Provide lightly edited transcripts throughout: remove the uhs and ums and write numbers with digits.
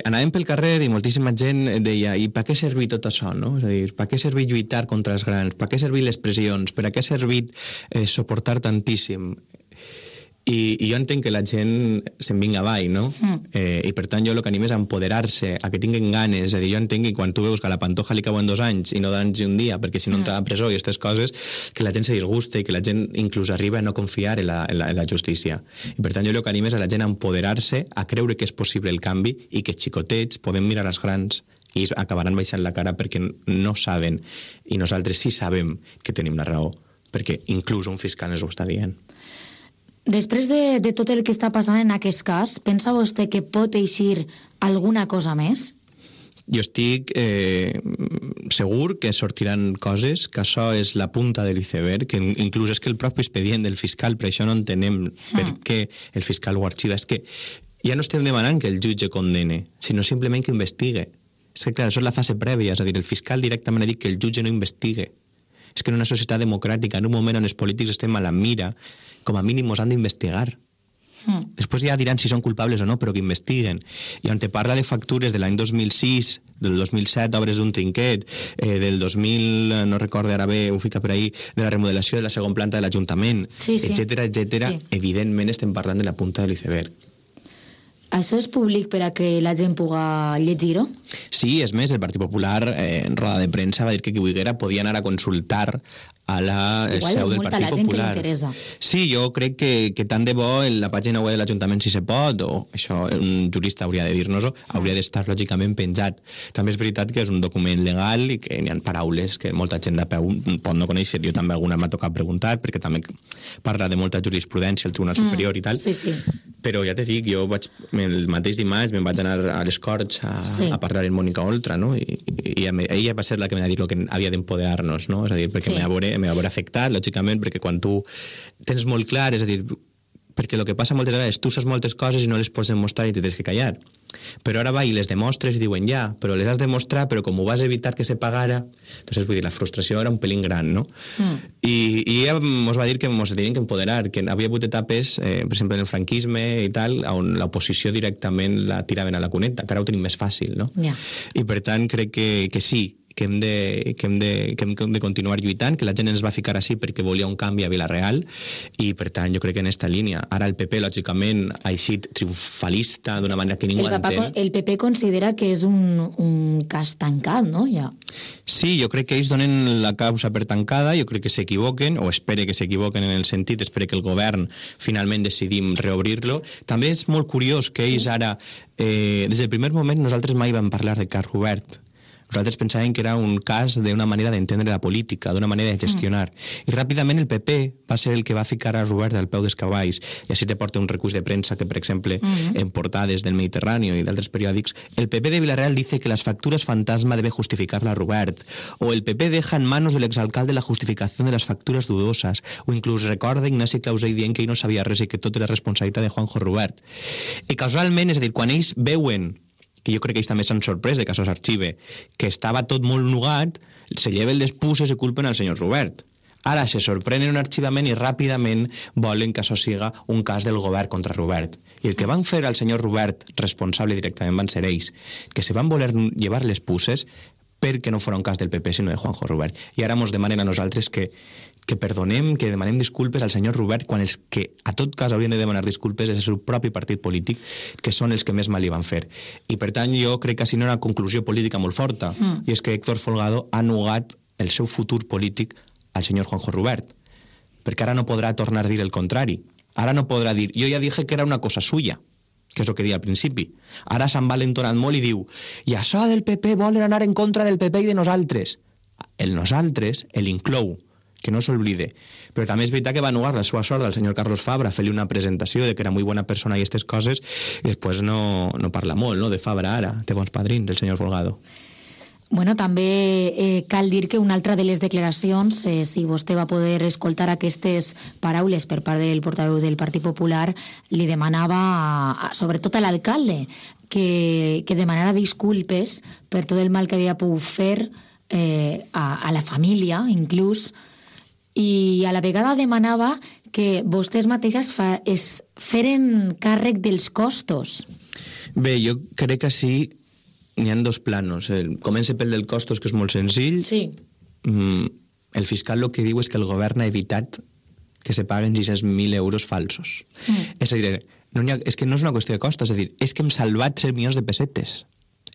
Anàvem pel carrer i moltíssima gent deia i per què servir tot això, no? És a dir, per què servir lluitar contra els grans? Per què servir les pressions? Per a què ha servit suportar tantíssim? I jo entenc que la gent se'n vinga avall, no? I per tant jo el que anim és a empoderar-se, a que tinguin ganes. És a dir, jo entenc que quan tu veus que a la Pantoja li cauen 2 anys i no 2 anys i un dia, perquè si no entra a presó i aquestes coses, que la gent se disgusta i que la gent inclús arriba a no confiar en la justícia. I per tant jo el que anim és a la gent a empoderar-se, a creure que és possible el canvi i que els xicotets podem mirar als grans i acabaran baixant la cara perquè no saben, i nosaltres sí sabem que tenim la raó, perquè inclús un fiscal ens ho està dient. Després de tot el que està passant en aquest cas, pensa vostè que pot eixir alguna cosa més? Jo estic segur que sortiran coses, que això és la punta de l'iceberg, que inclús és que el propi expedient del fiscal, per això no entenem per què el fiscal ho arxiva, és que ja no estem demanant que el jutge condene, sinó simplement que investigue. És que, clar, això és la fase prèvia, és a dir, el fiscal directament ha dit que el jutge no investigue. És que en una societat democràtica, en un moment on els polítics estem a la mira, com a mínim ens han d'investigar. Després ja diran si són culpables o no, però que investiguen. I on te parla de factures de l'any 2006, del 2007, obres d'un trinquet, del 2000, no recordo ara bé, ho fica per ahí, de la remodelació de la segona planta de l'Ajuntament, etcètera, evidentment estem parlant de la punta de l'iceberg. Això és públic per a que la gent pugui llegir-ho? Sí, és més, el Partit Popular en roda de premsa va dir que qui volguera podia anar a consultar a la seu del Partit Popular. Igual és molta la gent que li interessa. Sí, jo crec que tant de bo en la pàgina web de l'Ajuntament si se pot, o això un jurista hauria de dir-nos-ho, hauria d'estar lògicament penjat. També és veritat que és un document legal i que hi ha paraules que molta gent de peu pot no conèixer. Jo també alguna m'ha tocat preguntar, perquè també parla de molta jurisprudència al Tribunal Superior i tal. Sí, sí. Però ja te dic, jo el mateix dimarts me'n vaig anar a les Corts a parlar amb Mònica Oltra, no? I ella va ser la que m'ha dit que havia d'empoderar-nos, no? És a dir, perquè m'ha veure afectat, lògicament, perquè quan tu tens molt clar, és a dir, perquè el que passa moltes vegades, tu saps moltes coses i no les pots demostrar i te tens que callar. Però ara va i les demostres i diuen ja, però les has de mostrar, però com ho vas evitar que se pagara, doncs vull dir, la frustració era un pelín gran, no? I ella ens va dir que ens tenien que empoderar, que havia hagut etapes, per exemple, en el franquisme i tal, on l'oposició directament la tiraven a la cuneta, que ara ho tenim més fàcil, no? I per tant crec que sí, que hem de continuar lluitant, que la gent ens va ficar així perquè volia un canvi a Vila-real, i per tant jo crec que en aquesta línia. Ara el PP, lògicament, ha eixit triomfalista d'una manera que ningú entén. El PP considera que és un cas tancat, no? Ja. Sí, jo crec que ells donen la causa per tancada, jo crec que s'equivoquen, o espere que s'equivoquen en el sentit, espere que el govern finalment decidim reobrir-lo. També és molt curiós que ells ara, des del primer moment, nosaltres mai vam parlar de cas Robert. Nosaltres pensàvem que era un cas d'una manera d'entendre la política, d'una manera de gestionar. I ràpidament el PP va ser el que va ficar a Robert al peu dels cavalls, i així te porta un recurs de premsa que, per exemple, en portades del Mediterráneo i d'altres periòdics, el PP de Villarreal dice que las facturas fantasma debe justificarla Robert, o el PP deja en manos del exalcalde la justificación de las facturas dudosas, o inclús recorda Ignasi Clausell dient que ell no sabia res i que tot era responsabilitat de Juanjo Robert. I casualment, és a dir, quan ells veuen, que jo crec que ells també s'han sorprès de que això s'arxive, que estava tot molt nugat, se lleven les puces i culpen al senyor Robert. Ara se sorprenen un arxivament i ràpidament volen que això siga un cas del govern contra Robert. I el que van fer al senyor Robert responsable directament van ser ells, que se van voler llevar les puces perquè no fora un cas del PP, sinó de Juanjo Robert. I ara ens demanen a nosaltres que perdonem, que demanem disculpes al senyor Robert quan els que a tot cas haurien de demanar disculpes és el seu propi partit polític, que són els que més mal li van fer. I per tant jo crec que així no era una conclusió política molt forta, i és que Héctor Folgado ha negat el seu futur polític al senyor Juanjo Robert, perquè ara no podrà tornar a dir el contrari. Ara no podrà dir, jo ja dije que era una cosa suya, que és el que deia al principi. Ara s'han valentonat molt i diu, i això del PP volen anar en contra del PP i de nosaltres. El nosaltres, l'inclou, que no s'oblide. Però també és veritat que va negar la seva sort al senyor Carlos Fabra, fer-li una presentació de que era molt bona persona i aquestes coses, i després no parla molt, no?, de Fabra ara, té bons padrins, el senyor Folgado. Bueno, també cal dir que una altra de les declaracions, si vostè va poder escoltar aquestes paraules per part del portaveu del Partit Popular, li demanava, sobretot a l'alcalde, que demanara disculpes per tot el mal que havia pogut fer a la família, inclús, i a la vegada demanava que vostès mateixes es feren càrrec dels costos. Bé, jo crec que sí, n'hi ha dos planos. Comença pel del costos, que és molt senzill. Sí. El fiscal el que diu és que el govern ha evitat que se paguen 600.000 euros falsos. És a dir, és que no és una qüestió de costos, és a dir, és que hem salvat 100 milions de pessetes.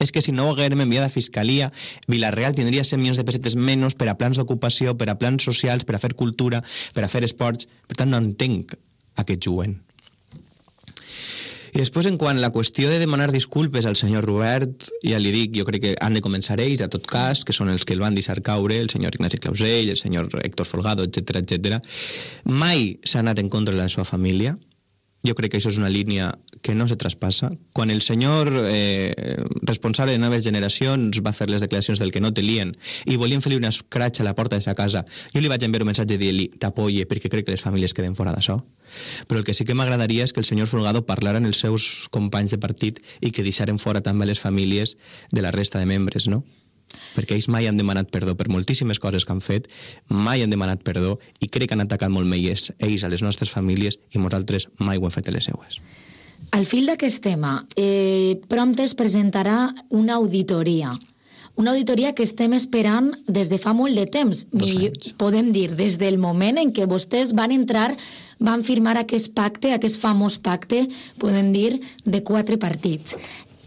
És que si no ho haguérem enviat a Fiscalia, Vila-real tindria 100 milions de pessetes menys per a plans d'ocupació, per a plans socials, per a fer cultura, per a fer esports. Per tant, no entenc aquest jovent. I després, en quant a la qüestió de demanar disculpes al senyor Robert, ja li dic, jo crec que han de començar ells, a tot cas, que són els que el van deixar caure, el senyor Ignasi Clausell, el senyor Héctor Folgado, etc. Mai s'ha anat en contra de la seva família. Jo crec que això és una línia que no se traspassa. Quan el senyor responsable de noves generacions va fer les declaracions del que no te lien i volien fer-li una escratx a la porta de sa casa, jo li vaig enviar un missatge dient-li t'apoye perquè crec que les famílies queden fora d'això. Però el que sí que m'agradaria és que el senyor Folgado parlara amb els seus companys de partit i que deixaren fora també les famílies de la resta de membres, no? Perquè ells mai han demanat perdó per moltíssimes coses que han fet, mai han demanat perdó i crec que han atacat molt més ells a les nostres famílies i nosaltres mai ho hem fet a les seues. Al fil d'aquest tema, prompte es presentarà una auditoria que estem esperant des de fa molt de temps. 2 anys. Podem dir, des del moment en què vostès van entrar, van firmar aquest pacte, aquest famós pacte, podem dir, de 4 partits.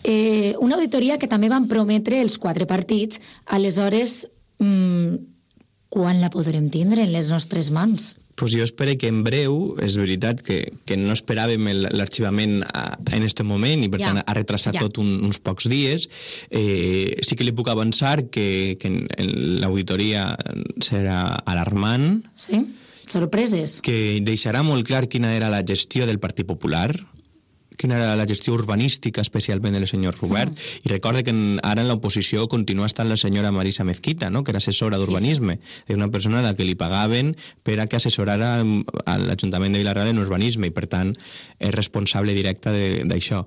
Una auditoria que també van prometre els 4 partits, aleshores, quan la podrem tindre en les nostres mans? Pues jo espero que en breu, és veritat que no esperàvem l'arxivament en aquest moment i per tant ha retrasat tot uns pocs dies. Sí que li puc avançar que l'auditoria serà alarmant. Sí? Sorpreses? Que deixarà molt clar quina era la gestió del Partit Popular, quina era la gestió urbanística, especialment del senyor Robert, i recorde que ara en l'oposició continua estant la senyora Marisa Mezquita, no?, que era assessora d'urbanisme, una persona a la que li pagaven per a que assessorara a l'Ajuntament de Vila-real en urbanisme, i per tant és responsable directa d'això.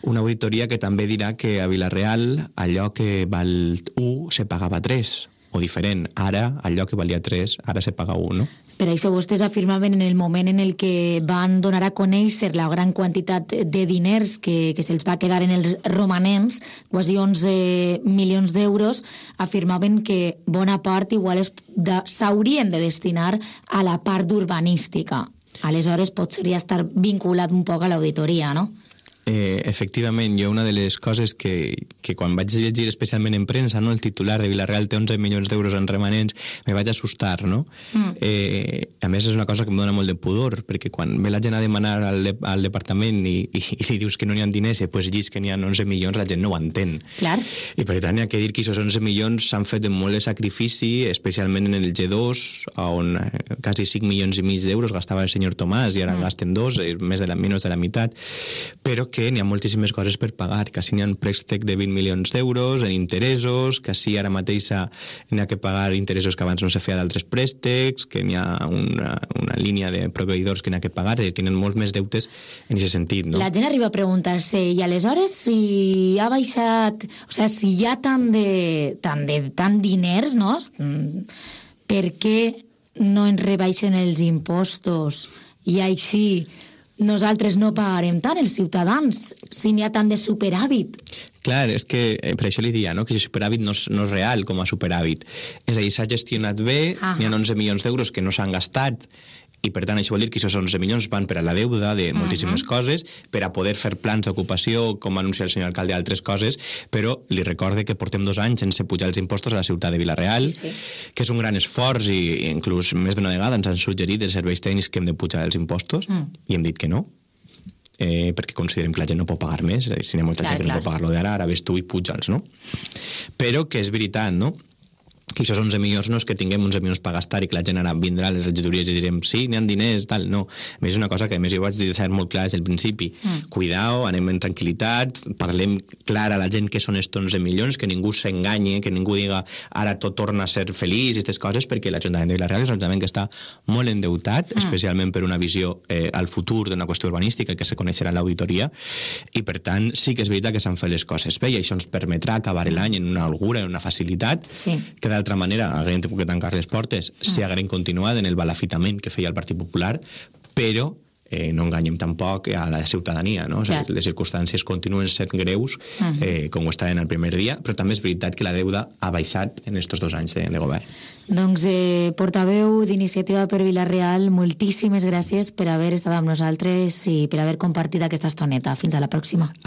Una auditoria que també dirà que a Vila-real allò que val 1 se pagava 3, o diferent, ara allò que valia 3, ara se paga 1, no? Per això vostès afirmaven en el moment en el que van donar a conèixer la gran quantitat de diners que se'ls va quedar en els romanents, quasi 11 milions d'euros, afirmaven que bona part igual s'haurien de destinar a la part urbanística. Aleshores, potser ja estar vinculat un poc a l'auditoria, no? Efectivament, jo una de les coses que quan vaig llegir especialment en premsa, no, el titular de Vila-real té 11 milions d'euros en remanents, me vaig assustar, no? A més és una cosa que em dona molt de pudor, perquè quan ve la gent a demanar al departament i li dius que no n'hi ha diners i després llis que n'hi ha 11 milions, la gent no ho entén. Clar. I per tant hi ha que dir que aquests 11 milions s'han fet amb molt de sacrifici, especialment en el G2, on quasi 5 milions i mig d'euros gastava el senyor Tomàs i ara gasten 2, menys de la meitat, però que n'hi ha moltíssimes coses per pagar, que si n'hi ha un préstec de 20 milions d'euros en interessos, que si ara mateix n'hi ha que pagar interessos que abans no se feia d'altres préstecs, que n'hi ha una línia de proveïdors que n'hi ha que pagar, i tenen molts més deutes en aquest sentit, no? La gent arriba a preguntar-se, i aleshores si ha baixat, o sigui, si hi ha tant diners, no? Per què no ens rebaixen els impostos i així nosaltres no pagarem tant, els ciutadans, si n'hi ha tant de superàvit? Clar, és que per això li dia, no?, que el superàvit no és real com a superàvit. És a dir, s'ha gestionat bé, n'hi ha 11 milions d'euros que no s'han gastat, i per tant això vol dir que aquests 11 milions van per a la deuda de moltíssimes coses, per a poder fer plans d'ocupació, com va anunciar el senyor alcalde, altres coses, però li recorde que portem 2 anys sense pujar els impostos a la ciutat de Vila-real, que és un gran esforç, i inclús més d'una vegada ens han suggerit els serveis tècnics que hem de pujar els impostos, i hem dit que no, perquè considerem que la gent no pot pagar més, si n'hi ha molta gent que no pot pagar-lo d'ara, ara ves tu i puja'ls, no? Però que és veritat, no?, que això 11 milions no és que tinguem 11 milions per gastar i que la gent ara vindrà a les regidories i direm sí, n'hi ha diners, tal, no. A més, és una cosa que a més jo vaig deixar molt clar des del principi. Cuidao, anem en tranquil·litat, parlem clar a la gent que són estos 11 milions, que ningú s'enganye, que ningú diga ara tot torna a ser feliç i aquestes coses, perquè l'Ajuntament de Vila-real és un ajuntament que està molt endeutat, especialment per una visió al futur d'una qüestió urbanística que se coneixerà en l'auditoria, i per tant sí que és veritat que s'han fet les coses bé, i això ens permetrà acabar l'any en una holgura, en una facilitat, que d'altra manera haguem tingut que tancar les portes si haguem continuat en el balafitament que feia el Partit Popular, però no enganyem tampoc a la ciutadania, no? Les circumstàncies continuen sent greus, com ho estaven el primer dia, però també és veritat que la deuda ha baixat en aquests 2 anys de govern. Doncs, portaveu d'Iniciativa per Vila-real, moltíssimes gràcies per haver estat amb nosaltres i per haver compartit aquesta estoneta. Fins a la pròxima.